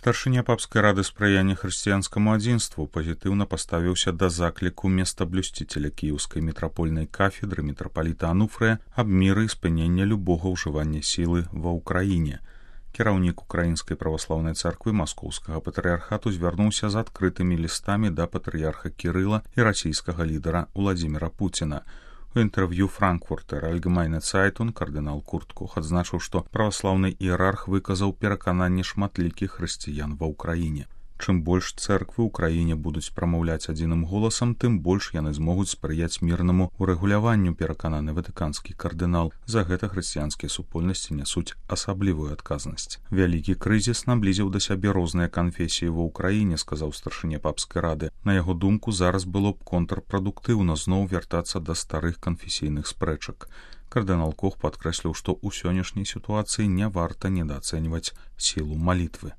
Старшыня папскай рады спрыяння хрысціянскаму адзінству пазітыўна паставіўся да закліку местоблюсціцеля кіеўскай мітрапольнай кафедры мітрапаліта Ануфрыя аб міры і спынення любога ўжывання сілы ва ўкраіне. Кіраўнік Украінскай праваслаўнай царквы Маскоўскага патрыярхату звярнуўся з адкрытымі лістамі да патрыярха Кірыла і расійскага лідара Уладзіміра Пуціна. У інтэрв'ю Франкфуртер Альгемайне Цайтун кардынал Курт Кох адзначыў, што праваслаўны іерарх выказаў перакананне шматлікіх хрысціян ва ўкраіне. Чым больш цэрквы ў краіне будуць прамаўляць адзіным голасам, тым больш яны змогуць спрыяць мірнаму урэгуляванню, перакананы ватыканскі кардынал. За гэта хрысціянскія супольнасці нясуць асаблівую адказнасць. Вялікі крызіс наблізіў да сябе розныя канфесіі ва ўкраіне, сказаў старшыня папскай рады. На яго думку, зараз было б контрпрадуктыўна зноў вяртацца да старых канфесійных спрэчак. Кардынал Кох падкрэсліў, што ў сённяшняй сітуацыі не варта недаацэньваць сілу малітвы.